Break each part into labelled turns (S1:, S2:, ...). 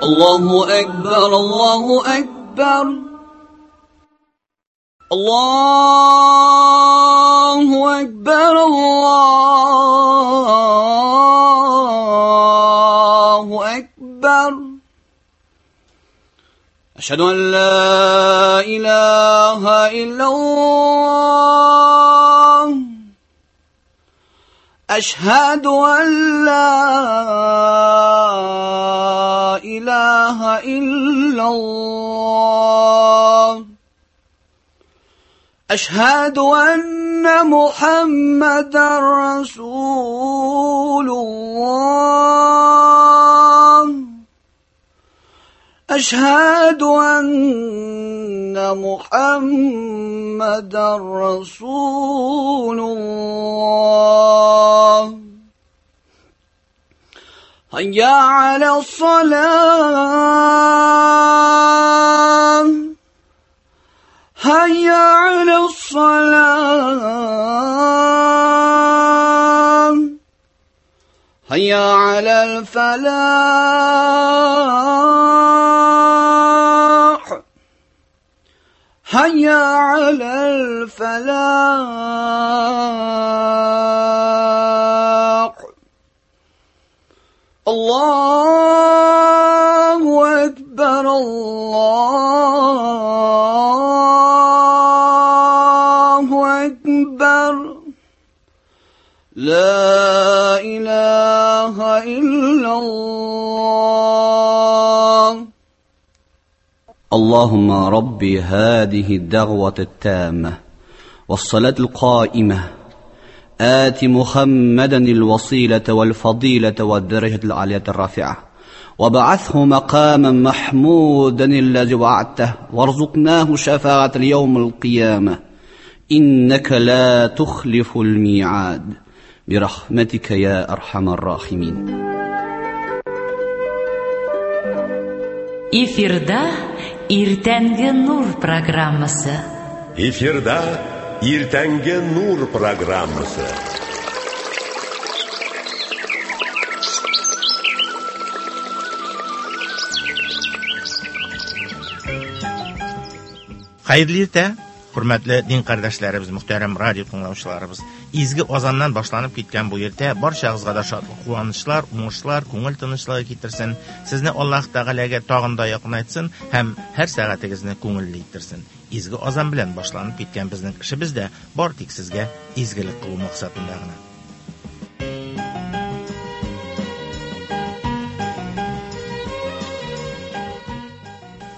S1: الله أكبر الله أكبر الله أكبر الله أكبر أشهد أن لا إله إلا الله أشهد أن لا إله إلا الله أشهد أن محمدا رسول الله أشهد أن محمدا رسول الله هيا على الصلاة هيا على الصلاة هيا على الفلاح هيا على الفلاح الله أكبر الله أكبر لا إله إلا الله.
S2: اللهم ربي هذه الدعوة التامة والصلاة القائمة آت محمدا الوسيلة والفضيلة والدرجة العالية الرافعة وبعثه مقاما محمودا الذي وعدته وارزقناه شفاعة اليوم القيامة إنك لا تخلف الميعاد برحمتك يا أرحم الراحمين.
S3: Эфирда Иртәнге нур программасы.
S4: Эфирда Иртәнге нур программасы.
S5: Хәерле иртә, хөрмәтле дин кардәшләребез, мөхтәрәм радио тыңлаучыларыбыз. Изге азаннан башланып киткән бу иртә барчагызга да шатлык, куанычлар, уңышлар, күңел тынычлыгы китерсен. Сезне Аллаһ Тәгаләгә тагын да якынайтсын һәм һәр сәгатегезне күңелле иттерсен. Изге азан белән башланып киткән безнең эшебез дә бар тик сезгә изгелек кылу максатында гына.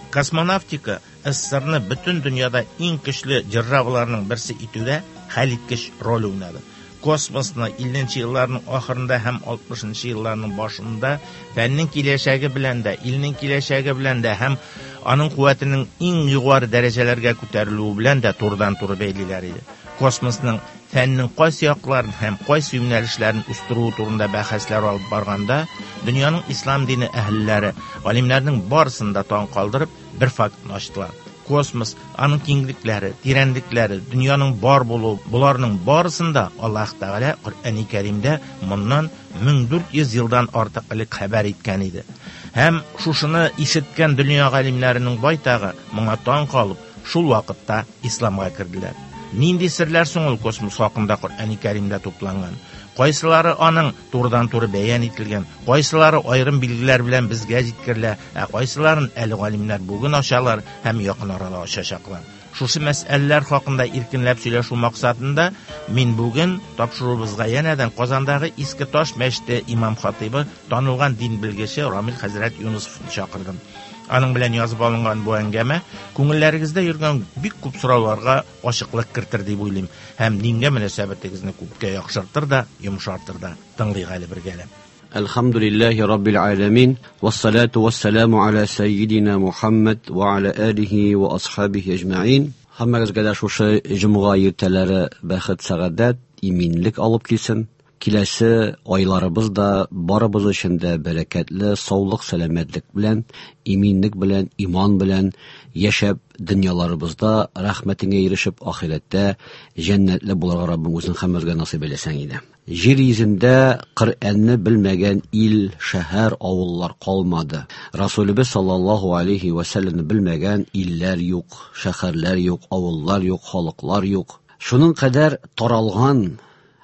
S5: Космонавтика СССРны бөтен дөньяда иң көчле державаларның берсе итүдә хәлиткеч роль уйнады. Космосны 50 елларның ахырында һәм 60 елларның башында фәннең киләчәге белән дә, илнең киләчәге белән дә һәм аның куәтенең иң югары дәрәҗәләргә күтәрелүе белән дә турыдан-туры бәйлиләр иде. Космосның фәннең кайсы якларын һәм кайсы юнәлешләрен үстерү турында бәхәсләр алып барганда, дөньяның ислам дине әһелләре, галимнәрнең барысын да таң калдырып, бер фактны ачтылар. Космос, аның киңлекләре, тирәнлекләре, дөньяның бар булуы, боларның барысын да Аллаһ Тәгалә Коръәни Кәримдә моннан 1400 елдан артык элек хәбәр иткән иде. Һәм шушыны ишеткән дөнья галимнәренең байтагы моңа таң калып, шул вакытта исламга керделәр. Нинди серләр соң ул космос хакында Коръәни Кәримдә тупланган? Кайсылары аның турыдан-туры бәян ителгән, кайсылары аерым билгеләр белән безгә җиткерелә, ә кайсыларын әле галимнәр бүген ачалар һәм якын арада ачачаклар. Шушы мәсьәләләр хакында иркенләп сөйләшү максатында мин бүген тапшыруыбызга янәдән Казандагы Иске Таш мәчете имам хатыйбы, танылган дин белгече Рамил хәзрәт Юнысовны чакырдым. Аның белән язып алынган бу әңгәмә күңелләрегездә йөргән бик күп сорауларга ачыклык кертер дип уйлыйм һәм дингә мөнәсәбәтегезне күпкә яхшыртыр да, йомшартыр да. Тыңлыйк әле бергәләп.
S2: Әлхәмдүлилләһи раббил аламин, вассалату вассаламу аля саййидина Мухаммад ва аля алихи ва асхабихи әҗмәин. Һәммәгезгә дә шушы җомга иртәләре бәхет, сәгадәт, иминлек алып килсен. Киләсе айларыбыз да барыбыз өчен дә бәрәкәтле, саулык, сәламәтлек белән, иминлек белән, иман белән яшәп, дөньяларыбызда рәхмәтеңә ирешеп, ахирәттә җәннәтле булырга Раббым үзең һәммәбезгә насыйп әйләсәң иде. Җир йөзендә Коръәнне белмәгән ил, шәһәр, авыллар калмады. Расулебез саллаллаһу алейхи ва сәлләмне белмәгән илләр юк, шәһәрләр юк, авыллар юк, халыклар юк. Шуның кадәр таралган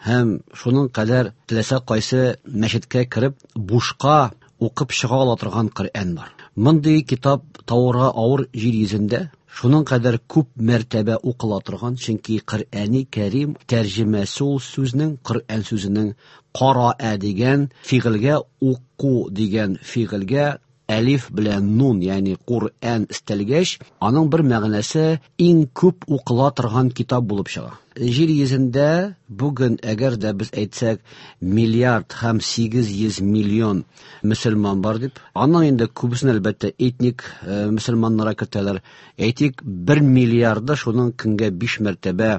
S2: һәм шуның кадәр теләсә кайсы мәчеткә кереп бушка укып чыга ала торган Коръән бар. Мондый китап табырга авыр җир йөзендә, шуның кадәр күп мәртәбә укыла торган, чөнки Коръәни Кәрим тәрҗемәсе ул сүзнең, Коръән сүзенең караа дигән фигыльгә, уку дигән фигыльгә әлиф белән нун, ягъни Коръән өстәлгәч, аның бер мәгънәсе иң күп укыла торган китап булып чыга. Җир йөзендә бүген, әгәр дә без әйтсәк, миллиард һәм 800 миллион мөселман бар дип, аның инде күбесен әлбәттә этник мөселманнарга кертәләр. Әйтик, 1 миллиарды шуның көнгә 5 мәртәбә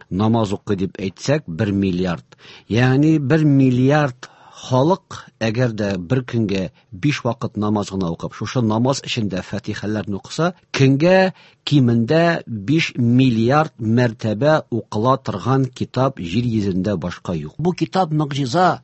S2: намаз укый дип әйтсәк, 1 миллиард. Ягъни 1 миллиард халык, әгәр дә бер көнгә 5 вакыт намаз гына укып, шушы намаз эчендә фатихаларны укыса, көнгә кимендә 5 миллиард мәртәбә укыла торган китап җир йөзендә башка юк. Бу китап могҗиза.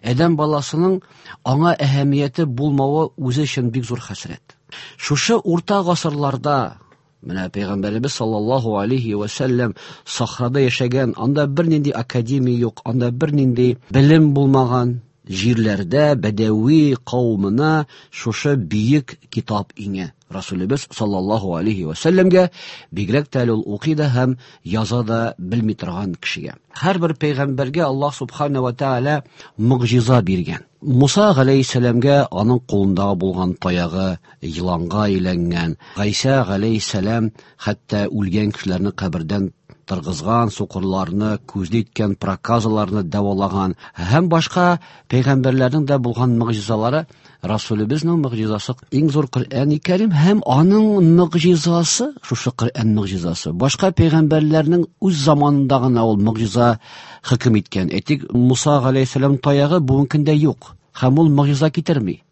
S2: Адәм баласының аңа әһәмияте булмавы үзе өчен бик зур хәсрәт. Шушы урта гасырларда менә Пәйгамбәребез саллаллаһу алейхи ва сәлләм сахрада яшәгән, анда бернинди академия юк, анда бернинди белем булмаган җирләрдә бәдәви кавымына шушы бөек китап иңә. Расулебез саллаллаһу алейхи ва сәлләмгә, бигрәк тә әле ул укый да һәм яза да белми торган кешегә. Һәрбер пәйгамбәргә Аллаһ субхана ва тааля могҗиза биргән. Муса галәйһиссәламгә аның кулындагы булган таягы еланга әйләнгән. Гайсә галәйһиссәлам хәтта үлгән кешеләрне кабердән торгызган, сукырларны күзле иткән, проказаларны дәвалаган һәм башка пәйгамбәрләрнең дә булган могҗизалары. Расулебезнең могҗизасы иң зур Коръән Кәрим һәм аның могҗизасы шушы Коръән могҗизасы. Башка пәйгамбәрләрнең үз заманында гына ул могҗиза хөкем иткән. Әйтик, Муса галәйһиссәлам таягы бүгенге көндә юк һәм ул могҗиза китерми.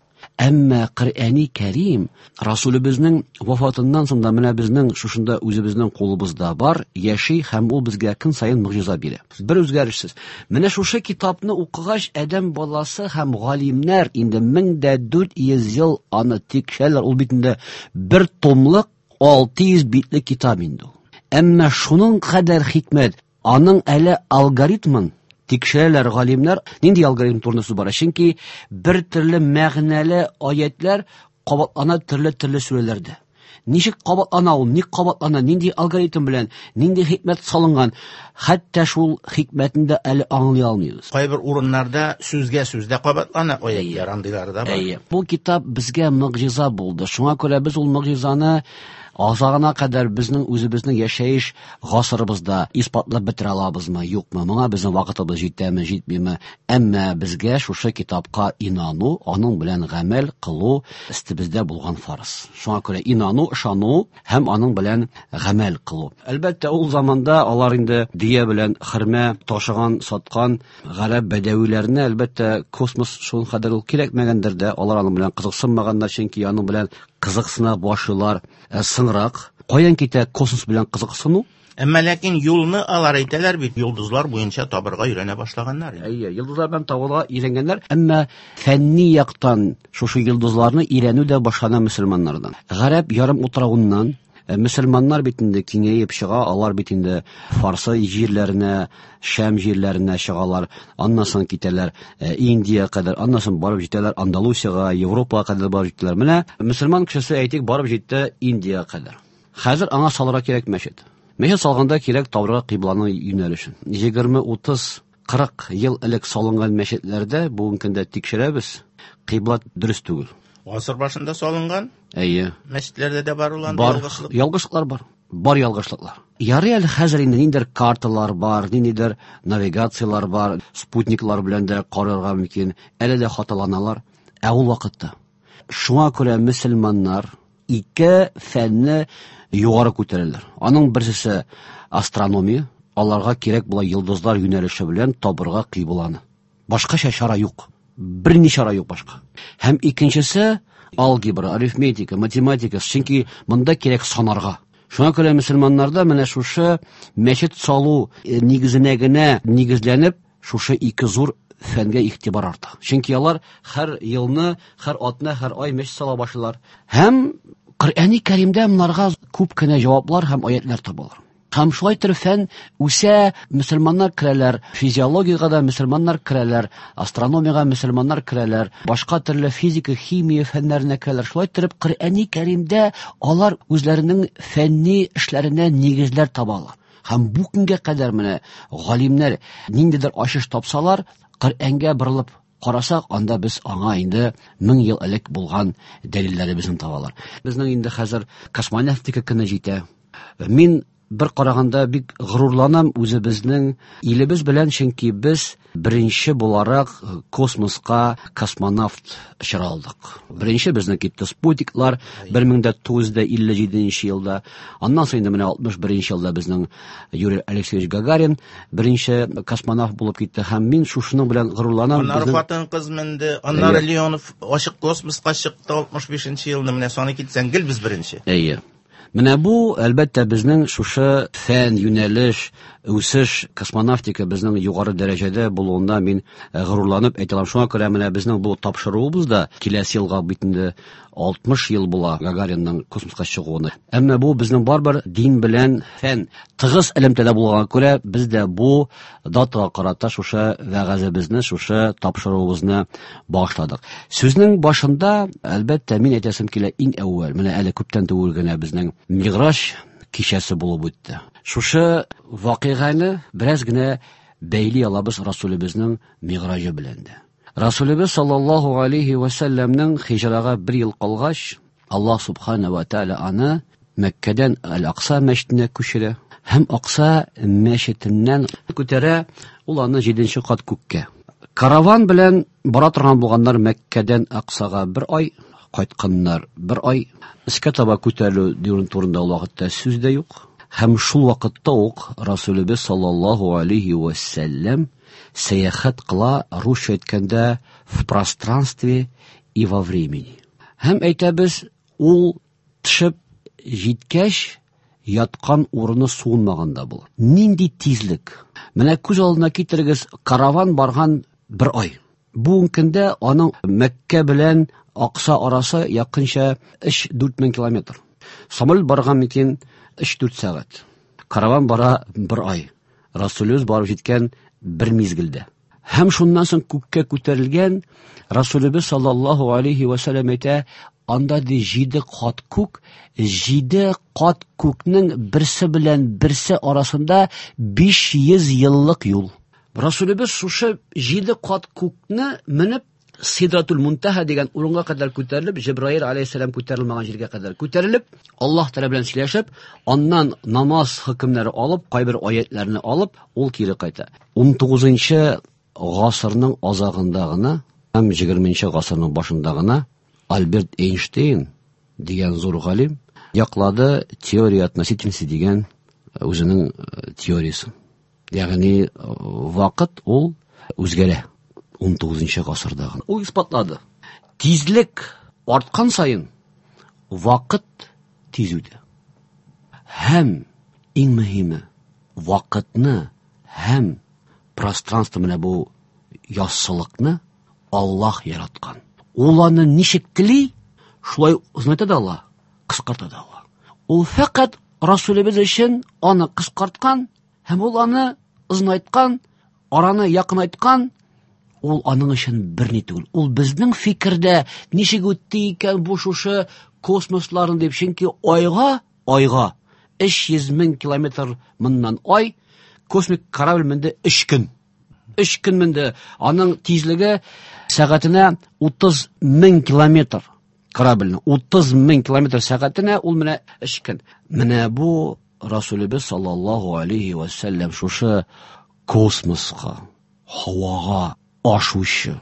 S2: Әмма Коръәни Кәрим Расулебезнең вафатыннан соң да менә безнең шушында үзебезнең кулыбызда бар, яши һәм ул безгә көн саен могҗиза бирә. Бер үзгәрешсез. Менә шушы китапны укыгач, адәм баласы һәм галимнәр инде 1400 ел аны тикшерәләр. Ул бит инде бер томлык 600 битле китап инде ул. Әмма шуның кадәр хикмәт, аның әле алгоритмын тикшерәләр галимнәр. Нинди алгоритм турында сүз бара? Чөнки бер төрле мәгънәле аятлар кабатлана төрле-төрле сүрәләрдә. Ничек кабатлана ул, ник кабатлана, нинди алгоритм белән, нинди хикмәт салынган, хәтта шул хикмәтне дә әле аңлый алмыйбыз.
S5: Кайбер урыннарда сүзгә сүз дә кабатлана аятлар, андыйлары да бар.
S2: Әйе. Бу китап безгә могҗиза булды. Шуңа күрә без ул могҗизаны азагына кадәр безнең үзебезнең яшәеш гасырыбызда исбатлап бетерә алабызмы, юкмы? Моңа безнең вакытыбыз җитәме, җитмиме? Әмма безгә шушы китапка инану, аның белән гамәл кылу өстебездә булган фарыз. Шуңа күрә инану, ышану һәм аның белән гамәл кылу. Әлбәттә, ул заманда алар инде дөя белән хөрмә ташыган, саткан гарәп бәдәвиләренә әлбәттә космос шул кадәр ул кирәкмәгәндер дә, алар аның белән кызыксынмаганнар, чөнки аның белән кызыксына башлыйлар соңрак. Каян китә космос белән кызыксыну?
S5: Әмма ләкин юлны алар әйтәләр бит, йолдызлар буенча табырга өйрәнә башлаганнар.
S2: Әйе, йолдызлар белән табырга өйрәнгәннәр, әмма фәнни яктан шушы йолдызларны өйрәнү дә башлана мөселманнардан. Гарәп ярым утравыннан мөселманнар бит инде киңәеп чыга, алар бит инде Фарсы җирләренә, Шәм җирләренә чыгалар, аннан соң китәләр Индия кадәр, аннан соң барып җитәләр Андалусияга, Европага кадәр барып җиттеләр. Менә мөселман кешесе, әйтик, барып җитте Индия кадәр. Хәзер аңа салырга кирәк мәчет. Мәчет салганда кирәк табырга кыйбланың юнәлешен. 20, 30, 40 ел элек салынган мәчетләрдә бүгенге көндә тикшерәбез, кыйбла дөрес түгел.
S5: Гасыр башында салынган?
S2: Әйе.
S5: Мәчетләрдә дә бар ул андый
S2: Бар.
S5: ялгышлык?
S2: Ялгышлыклар бар. Бар ялгышлыклар. Ярый әле хәзер инде ниндидер карталар бар, ниндидер навигациялар бар, спутниклар белән дә карарга мөмкин. Әле дә хаталаналар. Ә ул вакытта шуңа күрә мөселманнар ике фәнне югары күтәрәләр. Аның берсесе астрономия, аларга кирәк була йолдызлар юнәлеше белән табырга кыйбланы. Башкача чара юк. Берни чара юк башка. Һәм икенчесе алгебра, арифметика, математика, чөнки монда кирәк санарга. Шуңа күрә мөселманнарда менә шушы мәчет салу нигезенә генә нигезләнеп, шушы ике зур фәнгә игътибар арта. Чөнки алар һәр елны, һәр атна, һәр ай мәчет сала башлыйлар. Һәм Коръәни Кәримдә монарга күп кенә җаваплар һәм аятлар табалар. Һәм шулай итеп фән үсә, мөселманнар керәләр, физиологиягә дә мөселманнар керәләр, астрономиягә мөселманнар керәләр, башка төрле физика, химия фәннәренә керәләр. Шулай итеп Коръәни Кәримдә алар үзләренең фәнни эшләренә нигезләр табалар. Һәм бу көнгә кадәр менә галимнәр ниндидер ачыш тапсалар, Коръәнгә борылып карасак, анда без аңа инде 1000 ел элек булган дәлилләребезне табалар. Безнең инде хәзер космонавтика көне җитә. Мин бер караганда бик горурланам үзебезнең илебез белән, чөнки без беренче буларак космоска космонавт очыра алдык. Беренче безнең китте спутниклар 1957 елда. Аннан соң инде менә 61 елда безнең Юрий Алексеевич Гагарин беренче космонавт булып китте һәм мин шушының белән горурланам.
S5: Аннары хатын-кыз менде, аннары Леонов ачык космоска чыкты 65 елны. Менә саны китсәң, гел без беренче.
S2: Әйе. Менә бу, әлбәттә, безнең шушы фән, юнәлеш, үсеш, космонавтика безнең югары дәрәҗәдә булуында мин горурланып әйтә алам. Шуңа күрә менә безнең бу тапшыруыбыз да киләсе елга бит инде 60 ел була Гагаринның космоска чыгуына. Әмма бу безнең барыбер дин белән фән тыгыз элемтәдә булганга күрә, без дә бу датага карата шушы вәгазебезне, шушы тапшыруыбызны багышладык. Сүзнең башында, әлбәттә, мин әйтәсем килә иң әүвәл, менә әле күптән түгел генә безнең Миграш кичәсе булып үтте. Шушы вакыйганы бераз генә бәйли алабыз Расулебезнең Миграҗы белән дә. Расулебез саллаллаһу алейхи ва сәлләмнең хиҗрага бер ел калгач, Аллаһ субхана ва тааля аны Мәккәдән Әл-Акса мәчетенә күчерә һәм Акса мәчетеннән күтәрә ул аны 7 кат күккә. Караван белән бара торган булганнар Мәккәдән Аксага бер ай, кайтканнар бер ай. Өскә таба күтәрелү дигән турында ул вакытта сүз дә юк. Һәм шул вакытта ук Расулебез саллаллаһу алейхи ва сәлләм сәяхәт кыла, русча әйткәндә, в пространстве и во времени. Һәм әйтәбез, ул төшеп җиткәч, яткан урыны суынмаган да була. Нинди тизлек! Менә күз алдына китерегез, караван барган бер ай. Бүгенге көндә аның Мәккә белән Акса арасы якынча 3-4 мең километр. Самолет барган микән 3-4 сәгать. Караван бара бер ай. Расулебез барып җиткән бер мизгелдә. Һәм шуннан соң күккә күтәрелгән Расулебез саллаллаһу алейхи ва сәлләм әйтә, анда ди 7 кат күк, 7 кат күкнең берсе белән берсе арасында 500 еллык юл. Расулебез шушы 7 кат күкне менеп Сидратул Мунтаха дигән урынга кадәр күтәрелеп, Җибраил алейһиссалам күтәрелмәгән җиргә кадәр күтәрелеп, Аллаһ Тәгалә белән сөйләшеп, аннан намаз хөкемнәре алып, кайбер аятларны алып, ул кире кайта. 19-нчы гасырның азагында гына һәм 20-нче гасырның башында гына Альберт Эйнштейн дигән зур галим яклады теория относительности дигән үзенең теориясен. Ягъни вакыт ул үзгәрә 19 гасырда гына. Ул исбатлады. Тизлек арткан саен вакыт тиз үтә. Һәм иң мөһиме вакытны һәм пространство менә бу яссылыкны Аллаһ яраткан. Ул аны ничек тели, шулай озынайта да ала, кыскарта да ала. Ул фәкать Расулебез өчен аны кыскарткан һәм ул аны озынайткан, араны якынайткан, ул аның өчен берни түгел. Ул безнең фикердә ничек үтте икән бу шушы космосларын дип, чөнки айга 300 мең километр моннан ай, космик корабль менде 3 көн. 3 көн менде. Аның тизлеге сәгатенә 30 мең километр. Корабльне 30 мең километр сәгатенә ул менә 3 көн. Менә бу Расулебез саллаллаһу алейхи ва сәлләм шушы космоска, һавага ашучы,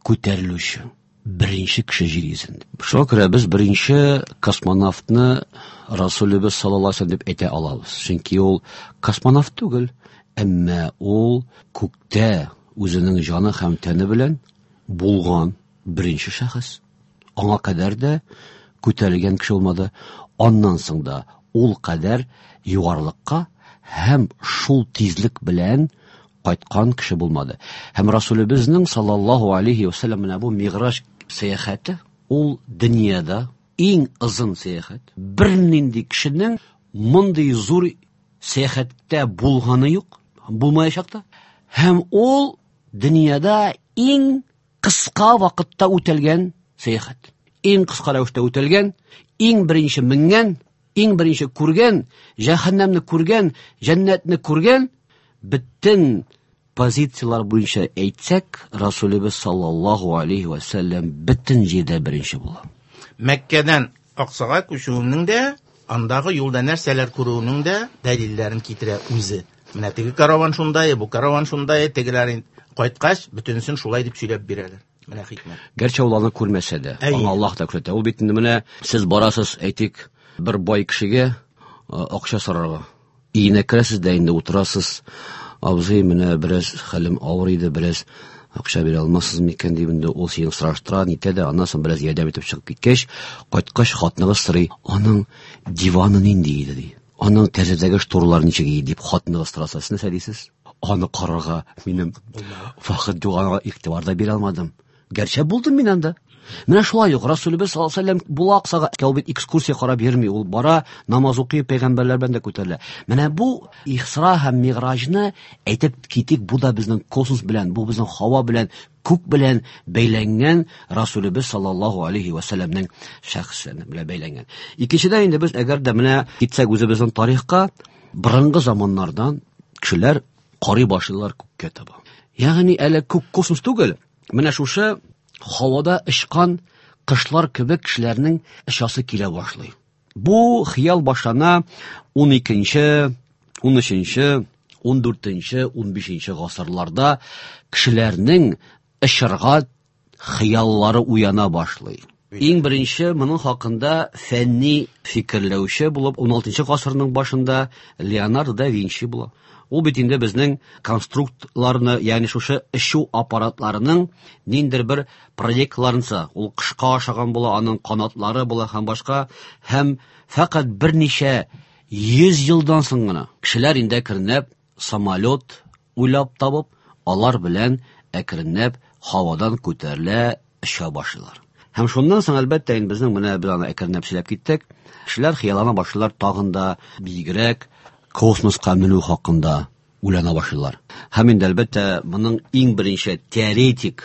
S2: күтәрелүче беренче кеше җир йөзендә. Шуңа күрә без беренче космонавтны Расулебез саллаллаһу алейхи ва сәлләм дип әйтә алабыз. Чөнки ул космонавт түгел, әмма ул күктә үзенең җаны һәм тәне белән булган беренче шәхес. Аңа кадәр дә күтәрелгән кеше булмады. Аннан соң да ул кадәр югарылыкка һәм шул тизлек белән кайткан кеше булмады. Һәм Расулебезнең саллаллаһу алейхи ва саллям менә бу Миграж сәяхәте ул дөньяда иң озын сәяхәт. Бернинди кешенең мондый зур сәяхәттә булганы юк, булмаячак та. Һәм ул дөньяда иң кыска вакытта үтәлгән сәяхәт. Иң кыска рәвештә үтәлгән, иң беренче менгән, иң беренче күргән, җәһәннәмне күргән, җәннәтне күргән бөтен позициялар буенча әйтсәк, Расулебез саллаллаһу алейхи ва саллям бөтен җирдә беренче була.
S5: Мәккәдән Аксага күчүенең дә, андагы юлда нәрсәләр күрүенең дә дәлилләрен китерә үзе. Менә теге караван шундай, бу караван шундай, тегеләр кайткач, бөтенесен шулай дип сөйләп бирәләр. Менә хикмәт.
S2: Гәрчә ул аны күрмәсә дә, аңа Аллаһ та күрсәтә. Ул бит инде менә сез барасыз, әйтик, бер бай кешегә акча сорарга. Өенә керәсез дә инде утырасыз. Абзый, менә бераз хәлем авыр иде, бераз акча бирә алмассыз микән дип инде ул сине сораштыра, нитә дә, аннан соң бераз ярдәм итеп чыгып киткәч, кайткач хатыныгыз сорый, аның диваны нинди иде ди. Аның тәрәзәдәге шторлар ничек иде дип хатыныгыз сораса, сез нәрсә дисез? Аны карарга минем вакыт юк, аңа игътибар да бирә алмадым. Гәрчә булдым мин анда. Менә шулай ук Расулебез саллаллаһу алейһи ва сәлләм була Аксага, ул бит экскурсия карап йөрми, ул бара, намаз укый, пәйгамбәрләр белән дә күтәрелә. Менә бу Исра һәм Мигражны әйтеп китик, бу да безнең космос белән, бу безнең һава белән, күк белән бәйләнгән Расулебез саллаллаһу алейһи ва сәлләмнең шәхесе белән бәйләнгән. Икенчедән инде без әгәр дә менә китсәк үзебезнең тарихка, борынгы заманнардан кешеләр карый башлыйлар күккә таба. Ягъни әле күк космос түгел, менә шушы һавада очкан кошлар кебек кешеләрнең очасы килә башлый. Бу хыял башлана 12-нче, 13-нче, 14-нче, 15-нче гасырларда кешеләрнең очарга хыяллары уяна башлый. Иң беренче моның хакында фәнни фикерләүче булып 16 гасырның башында Леонардо да Винчи була. Ул бит инде безнең конструктларны, ягъни шушы очу аппаратларының ниндидер бер проектларынса, ул кышка ашаган була, аның канатлары була һәм башка, һәм фәкать берничә йөз елдан соң гына кешеләр инде әкренләп самолет уйлап табып, алар белән әкренләп һавадан күтәрелә оча башлыйлар. Һәм шуннан соң, әлбәттә, инде безнең менә без аны әкренләп сөйләп киттек. Кешеләр хыяллана башлыйлар тагын да биегрәк космоска менү хакында уйлана башлыйлар. Һәм инде, әлбәттә, моның иң беренче теоретик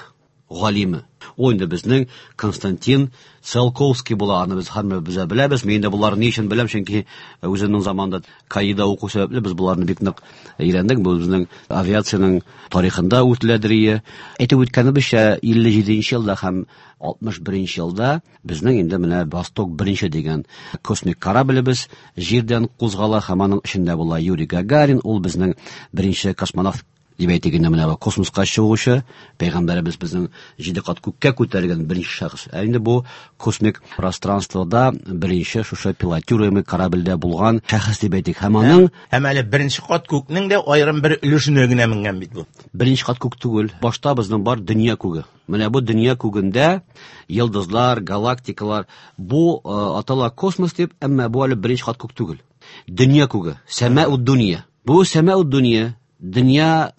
S2: галиме ул инде безнең Константин Циолковский була. Аны без һәммәбез беләбез. Мин инде боларны ни өчен беләм, чөнки үземнең заманда КАИда уку сәбәпле без боларны бик нык өйрәндек. Бу безнең авиациянең тарихында үтеләдер ие. Әйтеп үткәнебезчә, 57 елда һәм 61 елда безнең инде менә Восток беренче дигән космик кораблебез җирдән кузгала һәм аның эчендә була Юрий Гагарин, ул безнең беренче космонавт дип әйтик инде, менә бу космоска чыгучы пәйгамбәребез безнең 7 кат күккә күтәрелгән беренче шәхес. Ә инде бу космик пространствода беренче шушы пилотируемый корабльдә булган шәхес дип әйтик. Һәм аның
S5: Һәм әле беренче кат күкнең дә аерым бер өлешенә генә менгән бит бу.
S2: Беренче кат күк түгел. Башта безнең бар дөнья күге. Менә бу дөнья күгендә йолдызлар, галактикалар, бу атала космос дип, әмма бу әле беренче кат күк түгел. Дөнья күге, сәмәү дөнья. Бу сәмәү дөнья, дөнья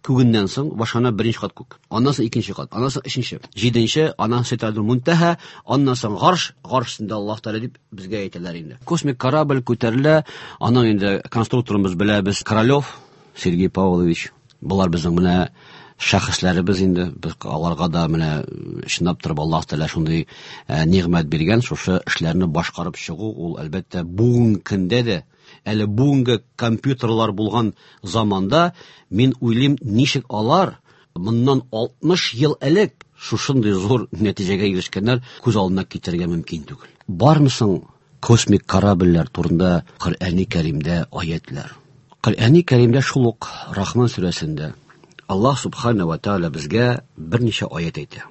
S2: күгеннән соң башлана беренче кат күк. Аннан соң икенче кат, аннан соң өченче, җиденче, аннан Ситрадул Мунтаһа, аннан соң Гарш, Гарш өстендә Аллаһ Тәгалә дип безгә әйтәләр инде. Космик корабль күтәрелә, аның инде конструкторын без беләбез, Королев Сергей Павлович. Болар безнең менә шәхесләребез инде, без аларга да менә чынлап торып Аллаһ Тәгалә шундый нигъмәт биргән, шушы эшләрне башкарып чыгу ул әлбәттә бүгенге көндә дә, әле бүгенге компьютерлар булган заманда, мин уйлыйм, ничек алар моннан 60 ел элек шушындый зур нәтиҗәгә ирешкәннәр, күз алдына китерергә мөмкин түгел. Бармы соң космик корабльләр турында Коръәни Кәримдә аятлар? Коръәни Кәримдә шул ук Рахман сүрәсендә Аллаһ субхана ва тааля безгә берничә аят әйтә.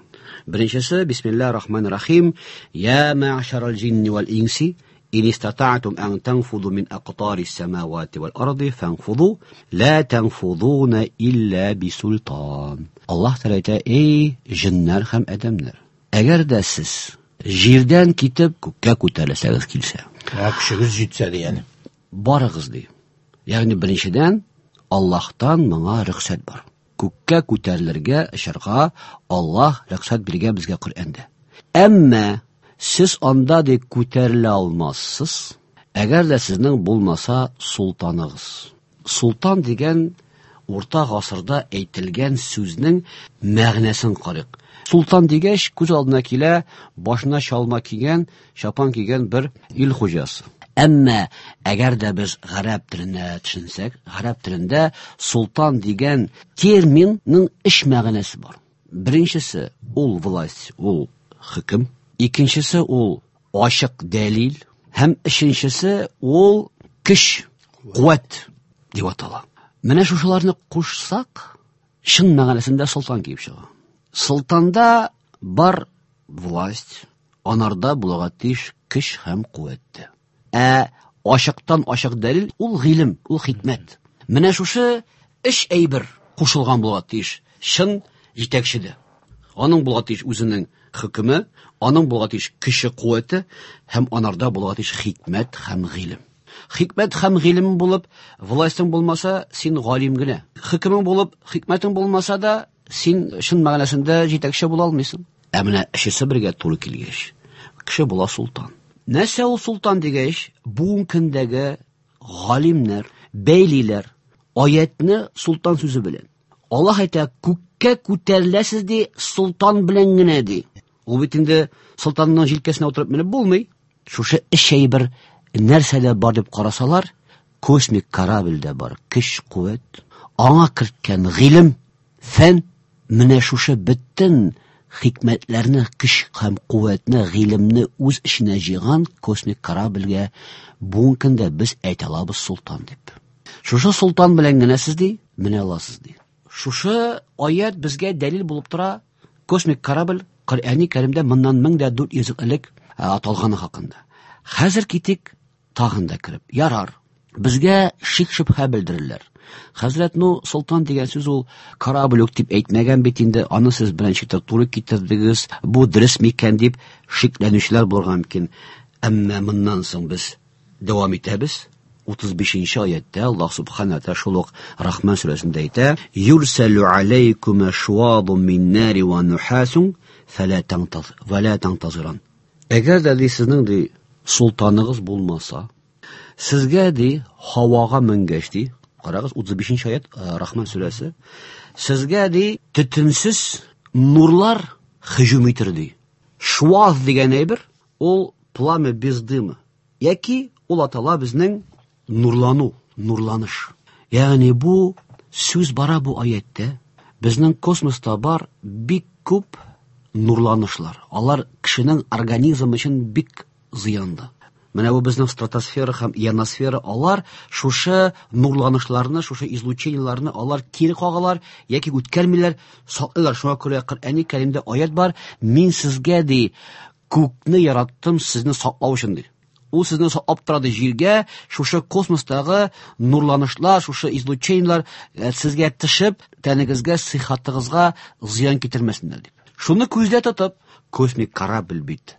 S2: Беренчесе Бисмиллаһир Рахманир Рахим, я ма'шарал джинни вал инси ин истата'тум ан танфуду мин aqtarис самавати вал арди фанфуду ла танфудуна илля бисултан. Аллаһ Тәгалә әйтә: "Эй, җеннәр һәм адәмнәр, әгәр дә сез җирдән китеп күккә күтәрелсәгез килсә,
S5: көчегез җитсә дигәне.
S2: Барыгыз ди. Ягъни беренчедән Аллаһтан моңа рөхсәт бар. Күккә күтәрелергә, очарга Аллаһ рөхсәт биргән безгә Коръәндә. Әмма сез анда ди күтәрелә алмассыз, әгәр дә сезнең булмаса султаныгыз. Султан дигән урта гасырда әйтелгән сүзнең мәгънәсен карыйк. Султан дигәч, күз алдына килә башына чалма кигән, чапан кигән бер ил хуҗасы. Әмма әгәр дә без гарәп теленә төшенсәк, гарәп телендә султан дигән терминның өч мәгънәсе бар. Беренчесе ул власть, ул хөкем. Икенчесе ул ачык дәлил һәм өченчесе ул көч, куәт дип атала. Менә шушыларны кушсак, чын мәгънәсендә солтан килеп чыга. Солтанда бар власть, анарда булырга тиеш көч һәм куәт. Ә ачыктан ачык дәлил ул гыйлем, ул хикмәт. Менә шушы өч әйбер кушылган булырга тиеш чын җитәкчедә. Аның булырга тиеш үзенең хөкеме, аның булырга тиеш көче, куәте һәм анарда булырга тиеш хикмәт һәм гыйлем. Хикмәт һәм гыйлем булып, властың булмаса, син галим генә. Хөкемең булып, хикмәтең булмаса да, син чын мәгънәсендә җитәкче була алмыйсың. Ә менә өчесе бергә туры килгәч, кеше була султан. Нәрсә ул султан дигәч, бүгенге көндәге галимнәр бәйлиләр аятны султан сүзе белән. Аллаһ әйтә, күккә күтәреләсез ди, султан белән генә ди. Ул бит инде султанның җилкәсенә утырып менеп булмый. Шушы өч әйбер нәрсәдә бар дип карасалар, космик корабльдә бар көч, куәт, аңа керткән гыйлем, фән, менә шушы бөтен хикмәтләрне, көч һәм куәтне, гыйлемне үз эченә җыйган космик корабльгә бүгенге көндә без әйтә алабыз султан дип. Шушы султан белән генә сез ди, менә аласыз ди. Шушы аят безгә дәлил булып тора. Космик корабль Коръәни Кәримдә моннан 1400 ел элек аталганы хакында. Хәзер китик тагын да кереп. Ярар. Безгә шик-шөбһә белдерерләр. Хәзрәт, ну, султан дигән сүз ул корабль үк дип әйтмәгән бит инде, аны сез беренче туры китердегез, бу дөрес микән дип шикләнүчеләр булырга мөмкин. Әмма моннан соң без дәвам итәбез. 35-нче аятта Аллаһ субхана ва шул ук Рахман сүрәсендә әйтә: "Юрсалу алейкум шуадун мин нари ва нухасун фала тантаз ва ла тантазиран." Әгәр дә ди сезнең ди султаныгыз булмаса, сезгә ди һавага менгәч ди, карагыз 35-нче аят Рахман сүрәсе, сезгә ди төтенсез нурлар һөҗүм итер ди. Шуаз дигән әйбер ул пламя без дыма. Яки ул атала безнең нурлану, нурланыш. Ягъни бу сүз бара бу аятта. Безнең космоста бар бик күп нурланышлар. Алар кешенең организмы өчен бик зыянлы. Менә бу безнең стратосфера һәм ионосфера, алар шушы нурланышларны, шушы излучениеләрне алар кире кагалар яки үткәрмиләр, саклыйлар. Шуңа күрә Коръәни Кәримдә аят бар: "Мин сезгә ди күкне яраттым сезне саклау өчен" ди. Ул сезне саклап тора ди җиргә, шушы космостагы нурланышлар, шушы излучениеләр сезгә төшеп, тәнегезгә, сихәтегезгә зыян китермәсеннәр дип. Шуны күздә тотып, космик корабль бит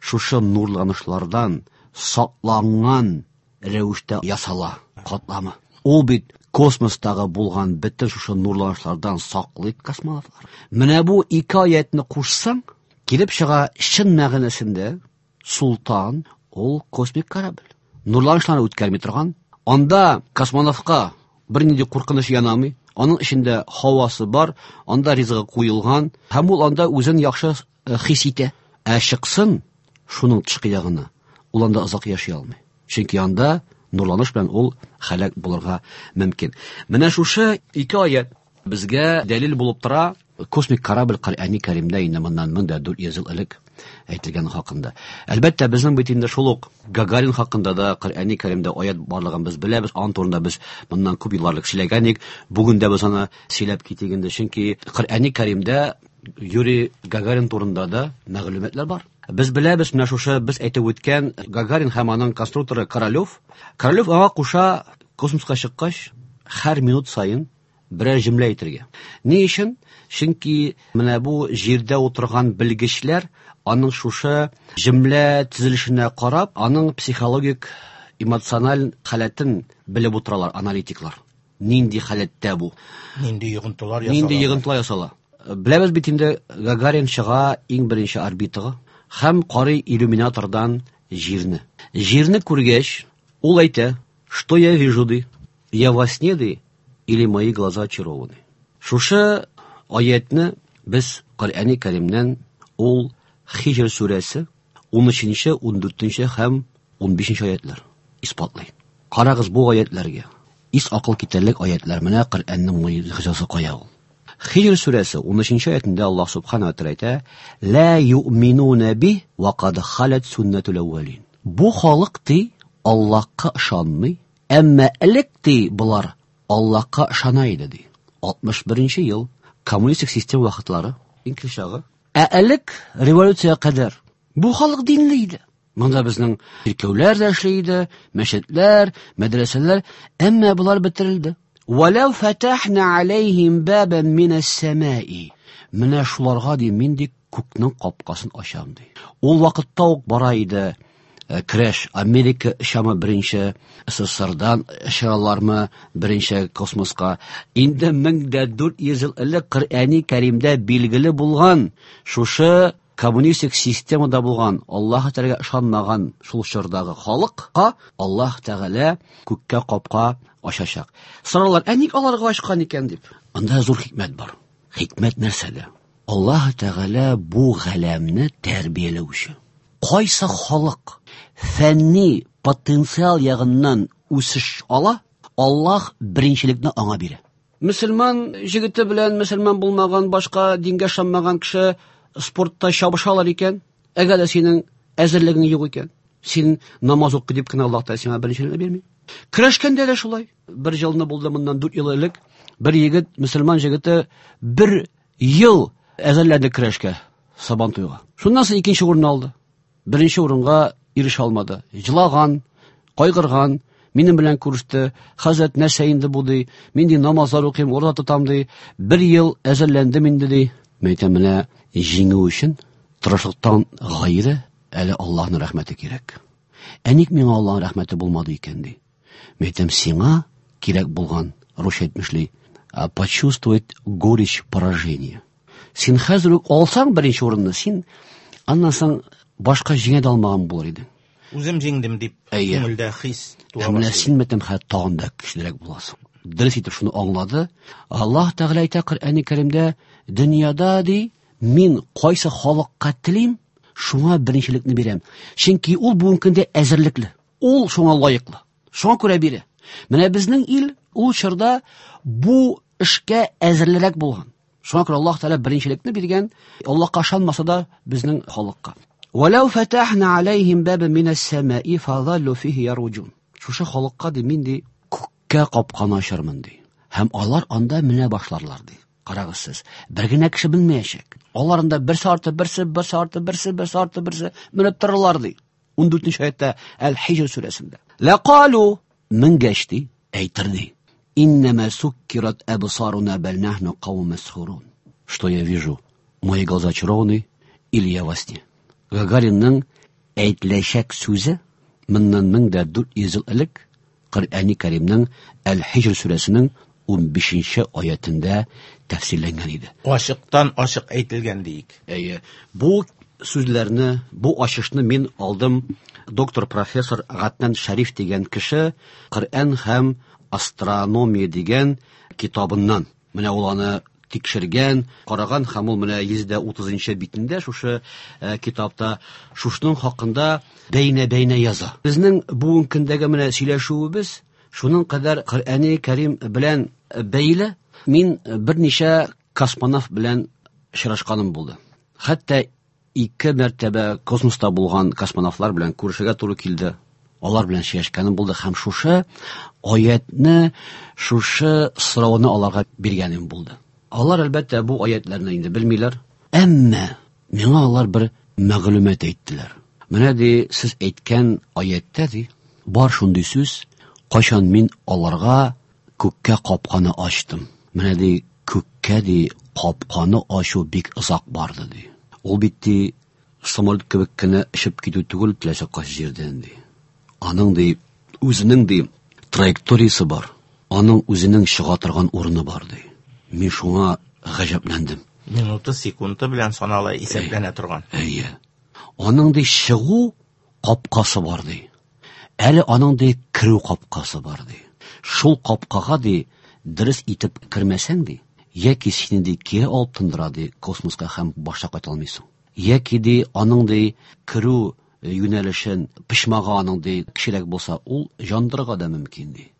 S2: шушы нурланышлардан сакланган рәвештә ясала катламы. Ул бит космостагы булган бөтен шушы нурланышлардан саклый космонавтлар. Менә бу ике аятны кушсаң, килеп чыга чын мәгънәсендә султан ул космик корабль. Нурланышларны үткәрми торган. Анда космонавтка бернинди куркыныч янамый. Аның эчендә һавасы бар, анда ризыгы куелган һәм ул анда үзен яхшы хис итә. Ә чыксын шуның тышкы ягына, ул анда озак яши алмый. Чөнки анда нурланыш белән ул һәлак булырга мөмкин. Менә шушы ике аят безгә дәлил булып тора. Космик корабль Коръәни Кәримдә инде моннан 1400 ел элек әйтелгән хакында. Әлбәттә, безнең бит инде шул ук Гагарин хакында да Коръәни Кәримдә аят барлыгын без беләбез. Аның турында без моннан күп еллар элек сөйләгән идек. Бүген дә без аны сөйләп китик инде, чөнки Коръәни Кәримдә Юрий Гагарин турында да мәгълүматлар бар. Без беләбез, менә шушы без әйтеп үткән Гагарин һәм аның конструкторы Королёв. Королёв аңа куша космоска чыккач, һәр минут саен берәр җөмлә әйтергә. Ни өчен? Чөнки менә бу җирдә утырган белгечләр аның шушы җөмлә төзелешенә карап, аның психологик, эмоциональ халәтен белеп утыралар аналитиклар. Нинди халәттә бу?
S5: Нинди йогынтылар ясала?
S2: Нинди йогынтылар ясала? Беләбез бит инде, Гагарин чыга иң беренче орбитага һәм карый иллюминатордан җирне. Җирне күргәч, ул әйтә: "Что я вижу, ди? Я во сне, ди, или мои глаза очарованы?" Шушы аятны без Коръәни Кәримнән, ул Хиҗр сүрәсе 13, 14 һәм 15 аятлар исбатлый. Карагыз бу аятларга. Ис акыл китәрлек аятлар. Менә Коръәннең могҗизасы кая ул. Хиҗр сүрәсе 13 аятында Аллаһ субхана ва тәгалә әйтә: "Ла юъминуна би ва кад халат суннатул әүвәлин." Бу халык ди Аллаһка ышанмый, әмма элек ди болар Аллаһка ышана иде ди. 61 ел коммунистик система вакытлары, иң чагы. Ә элек революция кадәр бу халык динле иде. Монда безнең чиркәүләр дә эшли иде, мәчетләр, мәдрәсәләр, әмма болар бетерелде. Валау фатахна алейхим бабан минас самаи. Менә шуларга ди мин ди күкнең капкасын ачам ди. Ул вакытта ук бара иде көрәш. Америка очамы беренче, СССРдан очалармы беренче космоска. Инде 1400 ел элек Коръәни Кәримдә билгеле булган шушы коммунистик системада булган, Аллаһ Тәгаләгә ышанмаган шул чордагы халыкка Аллаһ Тәгалә күккә капка ачачак. Соралар, ә ник аларга ачкан икән дип. Анда зур хикмәт бар. Хикмәт нәрсәдә? Аллаһ Тәгалә бу галәмне тәрбияләүче. Кайсы халык фәнни потенциал ягыннан үсеш ала, Аллаһ беренчелекне аңа бирә. Мөселман җегете белән мөселман булмаган, башка дингә ышанмаган кеше спортта чабышалар икән, әгәр дә синең әзерлегең юк икән, син намаз укы дип кенә Аллаһ Тәгалә сиңа беренчелекне бирми. Көрәшкәндә дә шулай. Бер елны булды моннан 4 ел элек, бер егет, мөселман җегете бер ел әзерләнде көрәшкә, Сабантуйга. Шуннан соң икенче урын алды. Беренче урынга ирешә алмады. Җылаган, кайгырган, минем белән күреште. Хәзрәт, нәрсә инде бу ди? Мин ди намазлар укыйм, ураза тотам ди. Бер ел әзерләндем инде ди. Мин әйтәм, менә җиңү өчен тырышлыктан гайре әле Аллаһның рәхмәте кирәк. Ә ник миңа Аллаһның рәхмәте булмады икән ди? Мин әйтәм, сиңа кирәк булган, русча әйтмешли, почувствовать горечь поражения. Син хәзер үк алсаң беренче урынны, син аннан соң башка җиңә дә алмаган булыр идең.
S5: Үзем җиңдем дип күңелдә хис туа
S2: башлый. Менә син мәтәм хәзер тагын да көчлерәк буласың. Дөрес итеп шуны аңлады. Аллаһ Тәгалә әйтә Коръәни Кәримдә, дөньяда ди, мин кайсы халыкка телим, шуңа беренчелекне бирәм. Чөнки ул бүгенге көндә әзерлекле. Ул шуңа лаеклы. Шуңа күрә бирә. Менә безнең ил ул чорда бу эшкә әзерлерәк булган. Шуңа күрә Аллаһ Тәгалә беренчелекне биргән, Аллаһка ышанмаса да безнең халыкка. Валау фатахна алейхим бабан минас самаи фазаллу фихи яруджун. Шушы халыкка ди мин ди күккә капканы ачармын ди. Һәм алар анда менә башларлар ди. Карагыз сез, бер генә кеше белмәячәк. Алар анда берсе арты берсе, берсе арты берсе, берсе арты берсе менеп торырлар ди. 14 аятта Әл-Хиҗр сүрәсендә. Ләкалу менгәч ди, әйтер ди. Иннәмә суккират әбсаруна бәл нахну каумун мәсхурун. Что я вижу? Мои глаза очарованы или я во сне? Гагаринның әйтеләчәк сүзе моннан 1400 ел элек Коръәни Кәримнең Әл-Хиҗр сүрәсенең 15 аятендә тәфсирләнгән иде.
S5: Ачыктан ачык әйтелгән диек.
S2: Әйе, бу сүзләрне, бу ачышны мин алдым доктор профессор Гатнан Шәриф дигән кеше Коръән һәм астрономия дигән китабыннан. Менә ул аны тикшергән, караган һәм ул менә 130 битендә шушы китапта шушының хакында бәйнә-бәйнә яза. Безнең бүгенге көндәге менә сөйләшүебез шуның кадәр Коръәни Кәрим белән бәйле. Мин берничә космонавт белән очрашканым булды. Хәтта 2 мәртәбә космоста булган космонавтлар белән күрешергә туры килде. Алар белән сөйләшкәнем булды һәм шушы аятны, шушы сорауны аларга биргәнем булды. Алар әлбәттә бу аятларны инде белмиләр, әмма миңа алар бер мәгълүмат әйттеләр. Менә ди, сез әйткән аяттә ди, бар шундый сүз, кайчан мин аларга күккә капканы ачтым. Менә ди, күккә ди Капканы ачу бик озак барды, ди. Ул бит, ди, самолет кебек кенә очып китү түгел, теләсә кайсы җирдән, ди. Аның, ди, үзенең, ди, траекториясе бар. Аның үзенең чыга торган урыны бар, ди. Мин шуңа гаҗәпләндем.
S5: Минуты, секунды белән санала, исәпләнә торган.
S2: Әйе. Аның, ди, чыгу капкасы бар, ди. Әле аның, ди, керү капкасы бар, ди. Шул капкага, ди, дөрес итеп кермәсәң, ди, яки сине, ди, кире алып тындыра, ди, космоска һәм башта кайта алмыйсың. Яки, ди, аның, ди, керү юнәлешен почмагы аның, ди, кечерәк булса, ул җандырырга да мөмкин, ди.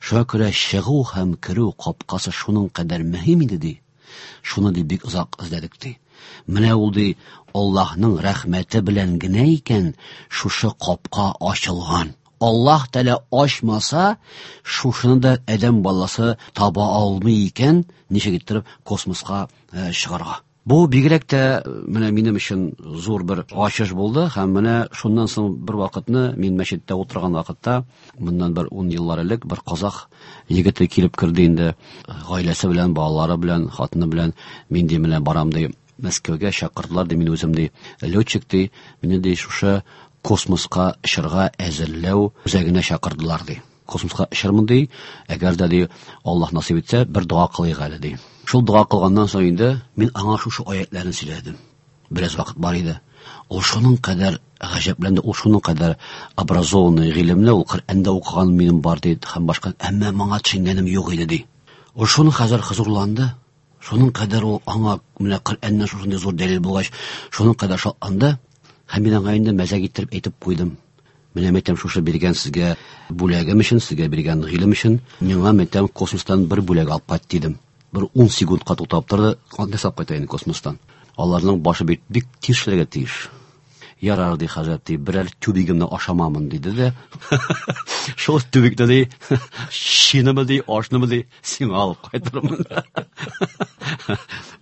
S2: Шуңа күрә чыгу һәм керү капкасы шуның кадәр мөһим иде, ди. Шуны, ди, бик озак эзләдек, ди. Менә ул, ди, Аллаһның рәхмәте белән генә икән шушы капка ачылган. Аллаһ Тәгалә ачмаса, шушыны да адәм баласы таба алмый икән, ничек иттереп космоска чыгарга. Бу бигрәк тә менә минем өчен зур бер ачыш булды һәм менә шуннан соң бер вакытны мин мәчеттә утырган вакытта, моннан бер 10 еллар элек бер казах егете килеп керде инде, гаиләсе белән, балалары белән, хатыны белән. Мин, ди, менә барам, ди, Мәскәүгә чакырдылар, ди, мин үзем, ди, летчик, ди, мине, ди, шушы космоска очырга әзерләү үзәгенә чакырдылар, ди. Космоска очырмын, ди, әгәр дә, ди, Аллаһ насыйп итсә, бер дога кылыйк әле, ди. Шул дога кылганнан соң инде мин аңа шушы аятларны сөйләдем. Бераз вакыт бар иде. Ул шуның кадәр гаҗәпләнде, ул шуның кадәр образованный, гыйлемле, ул Коръәндә укыган минем бар, ди, һәм башка, әмма моңа төшенгәнем юк иде, ди. Ул шуның хәзер хозурланды. Шуның кадәр ул аңа менә Коръәннән шушындый зур дәлил булгач, шуның кадәр шатланды. Һәм мин аңа инде мәзәк иттереп әйтеп куйдым. Менә мәйтәм, шушы биргән сезгә бүләгем өчен, сезгә биргән гыйлем өчен, миңа мәйтәм космостан бер бүләк алып кайт, дидем. Бер 10 секундка туктап торды, нәрсә алып кайта инде космостан. Аларның башы бит бик тиз эшләргә тиеш. Ярар, ди хәзрәт, ди, берәр тюбигымны ашамамын, диде дә. Шул тюбикны, ди, шинымы, ди, ашнымы, ди, сиңа алып кайтырмын.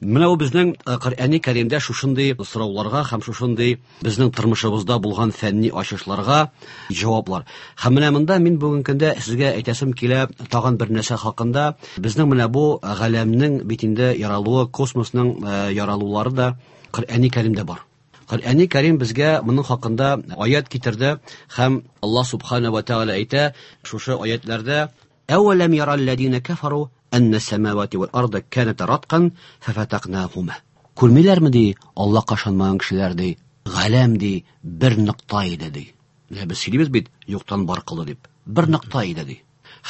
S2: Менә ул безнең Коръәни Кәримдә шушындый сорауларга һәм шушындый безнең тормышыбызда булган фәнни ачышларга җаваплар. Һәм менә монда мин бүгенге көндә сезгә әйтәсем килә тагын бер нәрсә хакында. Безнең менә бу галәмнең бит инде яралуы, космосның яралулары да Коръәни Кәримдә бар. Коръәни Кәрим безгә моның хакында аят китерде һәм Аллаһ субхана ва тәгалә әйтә шушы аятларда: Әвәләм яралләзина кафару әннә самавати вал арда каната раткан фафатакнахума. Күрмиләрме, ди, Аллаһка ышанмаган кешеләр, ди, галәм, ди, бер нокта иде, ди. Менә без сөйлибез бит, юктан бар кылды дип. Бер нокта иде, ди.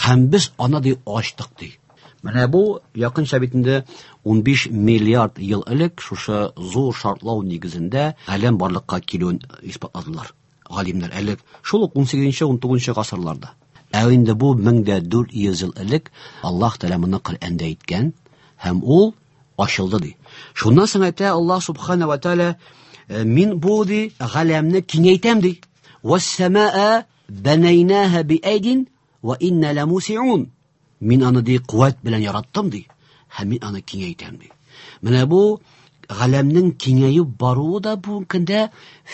S2: Һәм без аны, ди, ачтык, ди. Менә бу якынча бит инде 15 миллиард ел элек шушы зур шартлау нигезендә галәм барлыкка килүен исбатладылар галимнәр әле шул ук 18-19 гасырларда. Ә инде бу 1400 ел элек Аллаһ Тәгалә моны Коръәндә әйткән һәм ул ачылды, ди. Шуннан соң әйтә Аллаһ субхана ва тәгалә, мин бу, ди, галәмне киңәйтәм, ди. Вассамаа банайнаха биайдин ва инна ламусиун. Мин аны, ди, куәт белән яраттым, ди, һәм мин аны киңәйтәм, ди. Менә бу галәмнең киңәеп баруы да бүгенге көндә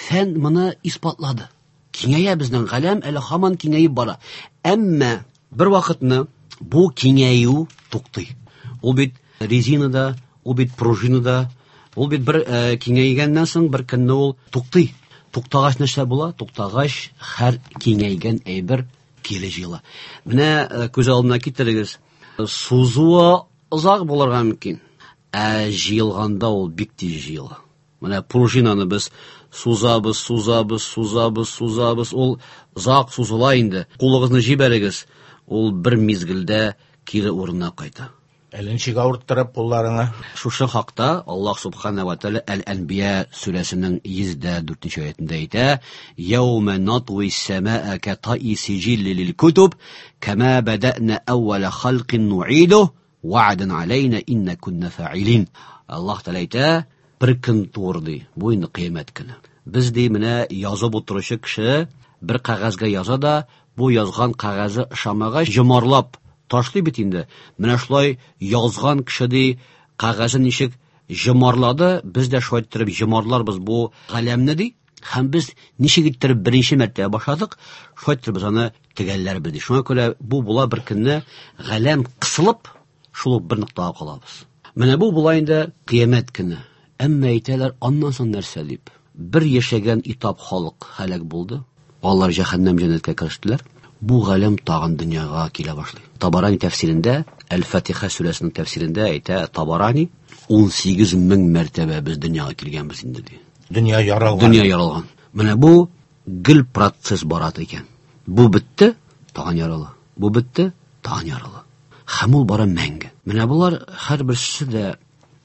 S2: фән моны исбатлады. Киңәя безнең галәм, әле һаман киңәеп бара. Әмма бер вакытны бу киңәю туктый. Ул бит резинада, ул бит пружинада, ул бит бер киңәйгәннән соң бер көнне ул туктый. Туктагач нәрсә була? Туктагач һәр киңәйгән әйбер кире җыела. Менә күз алдына китерегез. Сузуы озак булырга мөмкин, ә җыелганда ул бик тиз җыела. Менә пружинаны без сузабыз, сузабыз, сузабыз, сузабыз, ул озак сузыла инде. Кулыгызны җибәрегез, ул бер мизгелдә кире урынына кайта.
S5: Әле ничек авырттырып кулларыңа?
S2: Шушы хакта Аллаһ субхана ва тааля Әл-Әнбия сүрәсенең 104 аятында әйтә: Яума натуи самаа катаи сиҗилли лил кутуб, кама бадана әүвәла халкин нуиду, ва'дан алейна инна кунна фаилин. Аллаһ Тәгалә әйтә, бер көн туыр, ди, бу инде кыямәт көне. Без, ди, менә язып утыручы кеше бер кәгазьгә яза да, бу язган кәгазе ошамагач, йомарлап ташлый бит инде. Менә шулай язган кеше, ди, кәгазен ничек йомарлады, без дә шулай иттереп йомарларбыз бу галәмне, ди. Һәм без ничек иттереп беренче мәртәбә башладык, шулай иттереп без аны төгәлләрбез, ди. Шуңа күрә бу була бер көнне галәм кысылып, шул ук бер ноктага калабыз. Менә бу була инде кыямәт көне. Әмма әйтәләр, аннан соң нәрсә дип. Бер яшәгән этап халык һәлак булды. Алар җәһәннәм җәннәткә керештеләр. Бу галәм тагын дөньяга килә башлый. Табарани тәфсирендә, Әл-Фатиха сүрәсенең тәфсирендә әйтә Табарани, 18 мең мәртәбә без дөньяга килгәнбез инде ди.
S5: Дөнья яралган.
S2: Дөнья яралган. Менә бу гел процесс бара икән. Бу бетте, тагын ярала. Бу бетте, тагын ярала. Һәм ул бара мәңге. Менә болар һәрберсе дә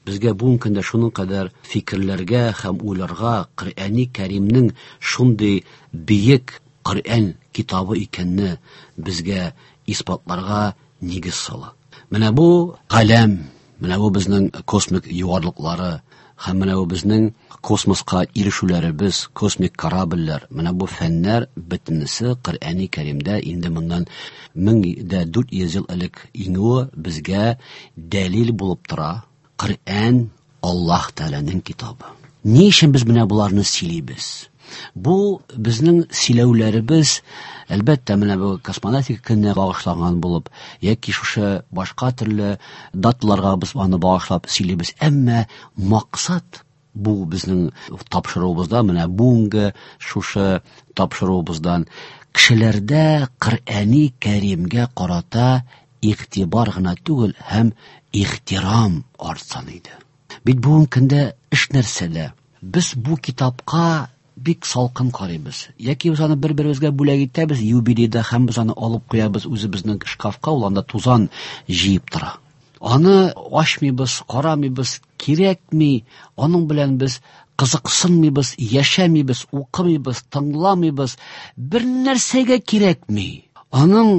S2: безгә бүгенге көндә шуның кадәр фикерләргә һәм уйларга Коръәни Кәримнең шундый бөек Коръән китабы икәнне безгә исбатларга нигез сала. Менә бу галәм, менә бу безнең космик югарлыклары һәм менә бу безнең космоска ирешүләребез, космик корабльләр, менә бу фәннәр бөтенесе Коръәни Кәримдә инде моннан 1400 ел элек иңүе безгә дәлил булып тора. Коръән Аллаһ Тәгаләнең китабы. Ни өчен без менә боларны сөйлибез? Бу безнең сөйләүләребез, әлбәттә, менә бу космонавтика көненә багышланган булып, яки шушы башка төрле даталарга без аны багышлап сөйлибез. Әмма максат бу безнең тапшыруыбызда, менә бүгенге шушы тапшыруыбыздан кешеләрдә Коръәни Кәримгә карата игътибар гына түгел, һәм ихтирам артсын иде. Бит бүгенге көндә эш нәрсәдә? Без бу китапка бик салкын карыйбыз. Яки без аны бер-беребезгә бүләк итәбез юбилейда һәм без аны алып куябыз үзебезнең шкафка, ул анда тузан җыеп тора. Аны ачмыйбыз, карамыйбыз, кирәкми. Аның белән без кызыксынмыйбыз, яшәмибез, укымыйбыз, тыңламыйбыз. Бер нәрсәгә кирәкми. Аның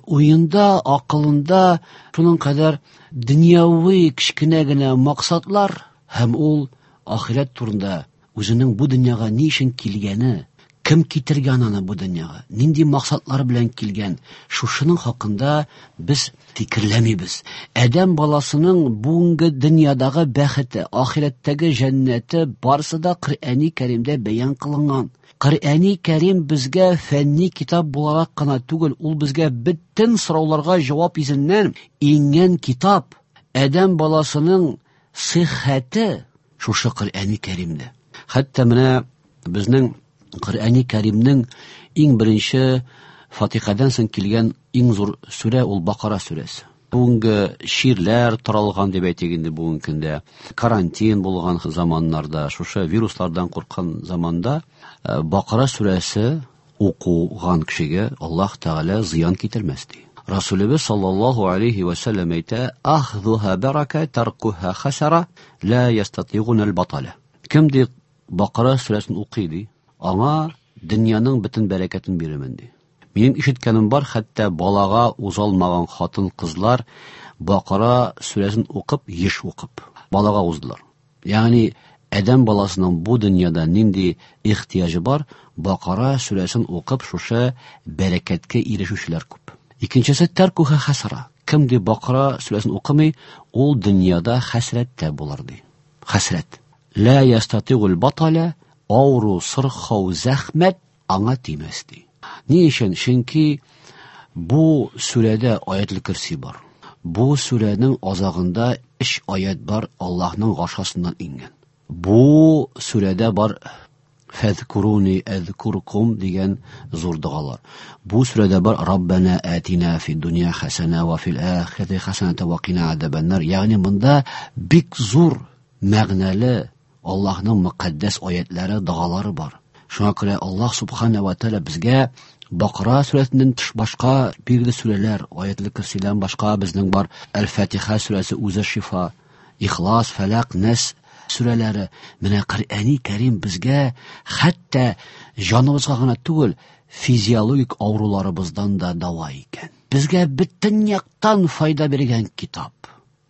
S2: уенда, акылында шуның кадәр дөньяви кечкенә генә максатлар һәм ул ахирәт турында үзенең бу дөньяга ни өчен килгәне, кем китергән аны бу дөньяга, нинди максатлар белән килгән, шушының хакында без фикерләмибез. Адәм баласының бүгенге дөньядагы бәхете, ахирәттәге җәннәте барысы да Коръәни Кәримдә бәян кылынган. Коръәни Кәрим безгә фәнни китап буларак кына түгел, ул безгә бөтен сорауларга җавап йөзеннән иңгән китап. Адәм баласының сихәте шушы Коръәни Кәримдә. Хәтта менә безнең Коръәни Кәримнең иң беренче Фатихадан соң килгән иң зур сүрә ул Бакара сүрәсе. Бүгенге чирләр таралган дип әйтик инде бүгенге көндә, карантин булган заманнарда, шушы вируслардан курккан заманда Бакара сүрәсе укуган кешегә Аллаһ Тәгалә зыян китермәс ди. Расулыбыз саллаллаһу алейхи ва саллям әйтә: "Ахдуха барака, таркуха хасара, ла ястатигун аль-батала". Кем ди Бакара сүрәсен укый ди, аңа дөньяның бөтен бәрәкәтен бирермен ди. Минем ишеткәнем бар, хәтта балага узалмаган хатын-кызлар Бакара сүрәсен укып, еш укып, балага уздылар. Ягъни адәм баласының бу дөньяда нинди ихтыяҗы бар, Бакара сүрәсен укып шушы бәрәкәткә ирешүчеләр күп. Икенчесе тәркуха хасара. Кем ди Бакара сүрәсен укымый, ул дөньяда хәсрәттә булыр ди. Хәсрәт. Ла ястатигул батала, авыру, сырхау, зәхмәт аңа тимәс ди. Ни өчен? Чөнки бу сүрәдә аятел көрси бар. Бу сүрәнең азагында 3 аят бар Аллаһның гашасыннан иңгән. Бу сүрәдә бар фәзкуруни әзкуркум дигән зур догалар. Бу сүрәдә бар Раббана атина фид дөнья хасана ва фил ахирати хасаната ва кина азабаннар. Ягъни монда бик зур мәгънәле Аллаһның мөкаддәс аятлары, догалары бар. Шуңа күрә Аллаһ субхана ва тааля безгә Бакара сүрәсеннән тыш башка билгеле сүрәләр, аятел көрсидән башка безнең бар Әл-Фатиха сүрәсе үзе шифа, Ихлас, Фәләк, Нәс сүрәләре. Менә Коръәни Кәрим безгә хәтта җаныбызга гына түгел, физиологик авыруларыбыздан да дава икән. Безгә бөтен яктан файда биргән китап.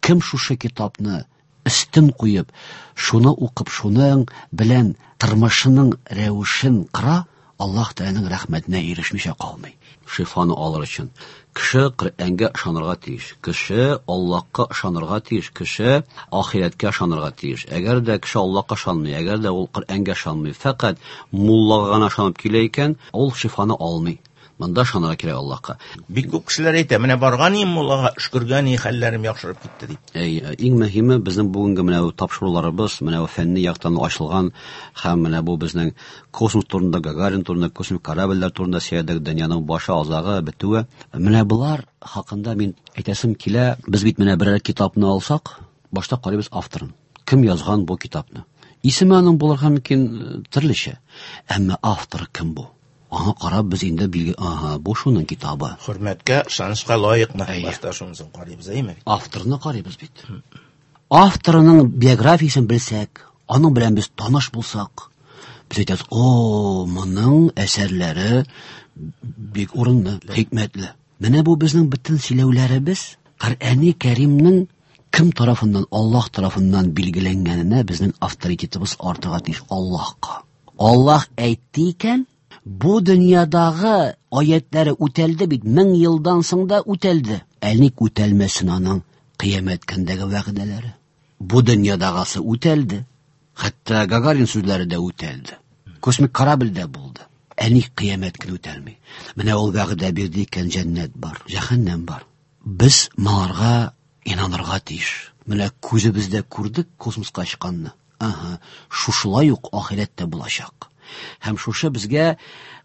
S2: Кем шушы китапны өстен куеп, шуны укып, шуның белән тормышының рәвешен кыра, Аллаһ Тәгаләнең рәхмәтенә ирешмичә калмый. Шифаны алыр өчен кеше Коръәнгә ышанырга тиеш, кеше Аллаһка ышанырга тиеш, кеше ахирәткә ышанырга тиеш. Әгәр дә кеше Аллаһка ышанмый, әгәр дә ул Коръәнгә ышанмый, фәкать муллага гына ышанып килә икән, ул шифаны алмый. Монда ышанырга кирәк Аллаһка.
S5: Бик күп кешеләр әйтә, менә барган идем муллага, өшкергән и хәлләрем яхшырып китте дип.
S2: Әй, иң мөһиме безнең бүгенге менә бу тапшыруларыбыз, менә бу фәнни яктан ачылган һәм менә бу безнең космос турында, Гагарин турында, космик корабльләр турында сөйләдек, дөньяның башы, азагы, бетүе. Менә болар хакында мин әйтәсем килә, без бит менә берәр китапны алсак, башта карыйбыз авторын. Кем язган бу китапны? Исеме аның булырга мөмкин төрлечә. Әмма авторы кем бу? Аңа карап без инде билге, ага, бу шуның китабы.
S5: Хөрмәткә, ышанычка лаекмы? Башта шунысын карыйбыз, әйеме?
S2: Авторны карыйбыз бит. Авторының биографиясен белсәк, аның белән без таныш булсак, без әйтәбез, о, моның әсәрләре бик урынлы, хикмәтле. Менә бу безнең бөтен сөйләүләребез Коръәни Кәримнең кем тарафыннан, Аллаһ тарафыннан билгеләнгәненә безнең авторитетыбыз артырга тиеш Аллаһка. Аллаһ әйтте икән, бу дөньядагы аятләре үтәлде бит, 1000 елдан соң да үтәлде. Ә ник үтәлмәсен аның кыямәт көндәге вәгъдәләре? Бу дөньядагысы үтәлде. Хәтта Гагарин сүзләре дә үтәлде. Космик корабль дә булды. Ә ник кыямәт көне үтәлми? Менә ул вәгъдә бирде икән, җәннәт бар, җәһәннәм бар. Без моңарга инанырга тиеш. Менә күзебездә күрдек космоска чыкканны. Ага, шушылай ук ахирәттә булачак. Һәм шушы безгә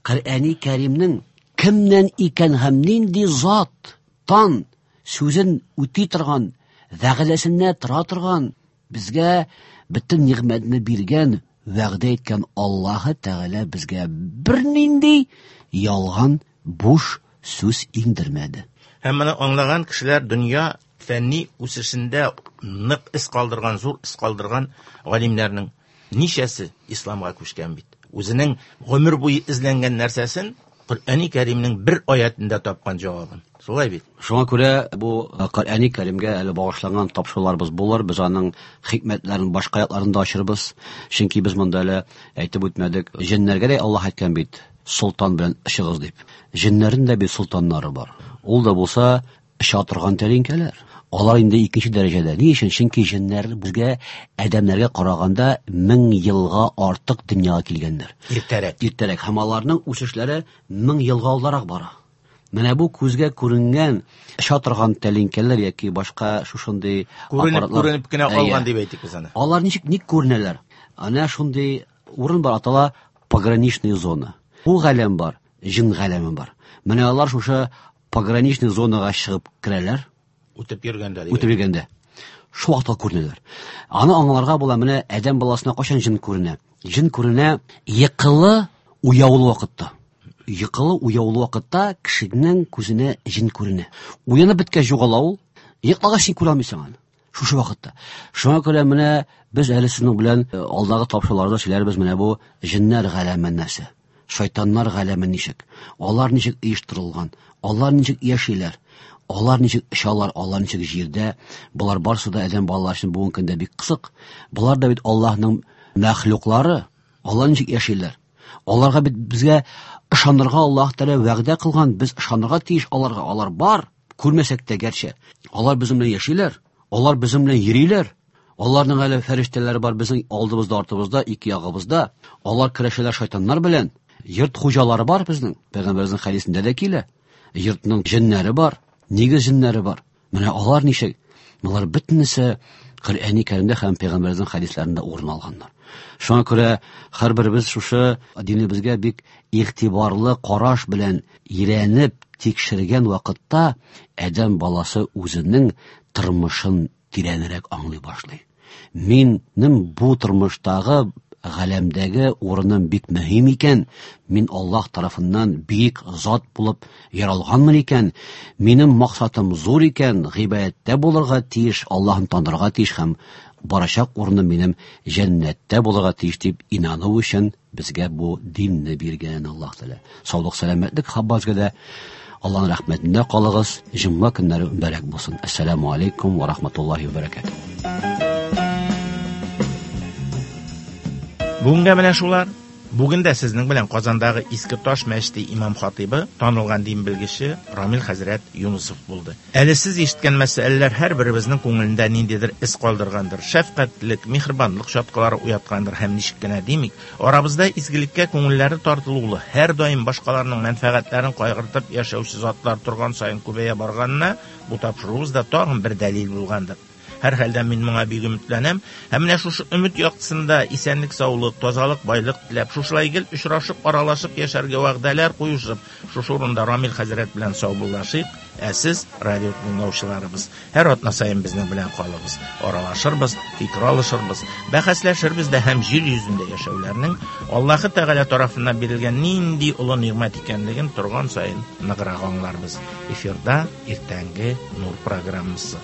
S2: Коръәни Кәримнең кемнән икән һәм нинди зат тан сүзен үти торган, вәгъдәсенә тора торган, безгә бөтен нигъмәтне биргән, вәгъдә иткән Аллаһы Тәгалә безгә бернинди ялган, буш сүз иңдермәде.
S5: Һәм моны аңлаган кешеләр дөнья фәнни үсешендә нык эз калдырган, зур эз калдырган галимнәрнең ничәсе исламга күчкән бит. Үзенең гомер буе эзләнгән нәрсәсен Коръәни Кәримнең бер аятендә тапкан җавабын. Шулай бит.
S2: Шуңа күрә бу Коръәни Кәримгә әле багышланган тапшыруларыбыз булыр. Без аның хикмәтләрен, башка якларын да ачырбыз. Чөнки без монда әле әйтеп үтмәдек. Җеннәргә дә Аллаһ әйткән бит, солтан белән очыгыз дип. Җеннәрнең дә бит солтаннары бар. Ул да булса оча торган тәлинкәләр. Алар инде икенче дәрәҗәдә. Ни өчен? Чөнки җеннәр безгә адәмнәргә караганда 1000 елга артык дөньяга килгәннәр.
S5: Иртәрәк.
S2: Иртәрәк. Һәм аларның үсешләре 1000 елга алдарак бара. Менә бу күзгә күренгән оча торган тәлинкәләр яки башка шушындый
S5: аппаратлар. Күренеп кенә калган дип әйтик без аны.
S2: Алар ничек ник күренәләр? Әнә шундый урын бар, атала пограничная зона. Бу галәм бар, җен галәме бар. Менә алар шушы пограничный зонага чыгып керәләр.
S5: Үтеп йөргәндә.
S2: Үтеп йөргәндә. Шул вакытта күренәләр. Аны аңларга була, менә адәм баласына кайчан җен күренә? Җен күренә йыкылы уяулы вакытта. Йыкылы уяулы вакытта кешенең күзенә җен күренә. Уянып беткәч югала ул. Йоклагач син күрә алмыйсың аны. Шушы вакытта. Шуңа күрә менә без әле сезнең белән алдагы тапшыруларда сөйләрбез менә бу җеннәр галәме нәрсә. Шайтаннар галәме ничек? Алар ничек оештырылган? Алар ничек яшиләр? Алар ничек очалар? Алар ничек җирдә? Болар барысы да адәм балалары өчен бүгенге көндә бик кызык. Болар да бит Аллаһның мәхлуклары. Алар ничек яшиләр? Аларга бит безгә ышанырга Аллаһ Тәгалә вәгъдә кылган, без ышанырга тиеш аларга. Алар бар, күрмәсәк тә гәрчә. Алар безнең белән яшиләр, алар безнең белән йөриләр. Аларның әле фәрештәләре бар безнең алдыбызда, артыбызда, ике ягыбызда. Алар көрәшәләр шайтаннар белән. Йорт хуҗалары бар безнең. Пәйгамбәребезнең хәдисендә дә килә. Йортның җеннәре бар, нигез җеннәре бар. Менә алар ничек? Болар бөтенесе Коръәни Кәримдә һәм пәйгамбәребезнең хәдисләрендә урын алганнар. Шуңа күрә һәрберебез шушы динебезгә бик игътибарлы караш белән өйрәнеп, тикшергән вакытта адәм баласы үзенең тормышын тирәнрәк аңлый башлый. Минем бу тормыштагы галәмдәге урыным бик мөһим икән, мин Аллаһ тарафыннан бөек зат булып яралганмын икән, минем максатым зур икән, гыйбадәттә булырга тиеш, Аллаһны танырга тиеш һәм барачак урыным минем җәннәттә булырга тиеш дип инану өчен безгә бу динне биргән Аллаһ Тәгалә. Саулык, сәламәтлек һәммәгезгә дә. Аллаһның рәхмәтендә калыгыз. Җомга көннәре мөбарәк булсын. Ассаламу алейкум ва рахматуллаһи ва баракатуһ.
S5: Бүгенгә менә шулар. Бүген дә сезнең белән Казандагы Иске Таш мәчете имам хатыйбы, танылган дин белгече Рамил хәзрәт Юнысов булды. Әле сез ишеткән мәсьәләләр һәрберебезнең күңелендә ниндидер эз калдыргандыр, шәфкатьлек, миһербанлык чаткылары уяткандыр һәм ничек кенә димик, арабызда изгелеккә күңелләре тартылулы, һәрдаим башкаларның мәнфәгатьләрен кайгыртып яшәүче затлар торган саен күбәя барганына бу тапшыруыбыз да тагын бер дәлил булгандыр. Һәрхәлдә мин моңа бик өметләнәм. Һәм менә шушы өмет яктысында исәнлек, саулык, тазалык, байлык теләп, шушылай гел очрашып, аралашып яшәргә вәгъдәләр куешып, шушы урында Рамил хәзрәт белән саубуллашыйк. Ә сез, радио тыңлаучыларыбыз, һәр атна саен безнең белән калыгыз. Аралашырбыз, фикер алышырбыз, бәхәсләшербез дә һәм җир йөзендә яшәүләрнең Аллаһы Тәгалә тарафыннан бирелгән нинди олы нигъмәт икәнлеген торган саен ныграк аңларбыз. Эфирда иртәнге Нур программасы.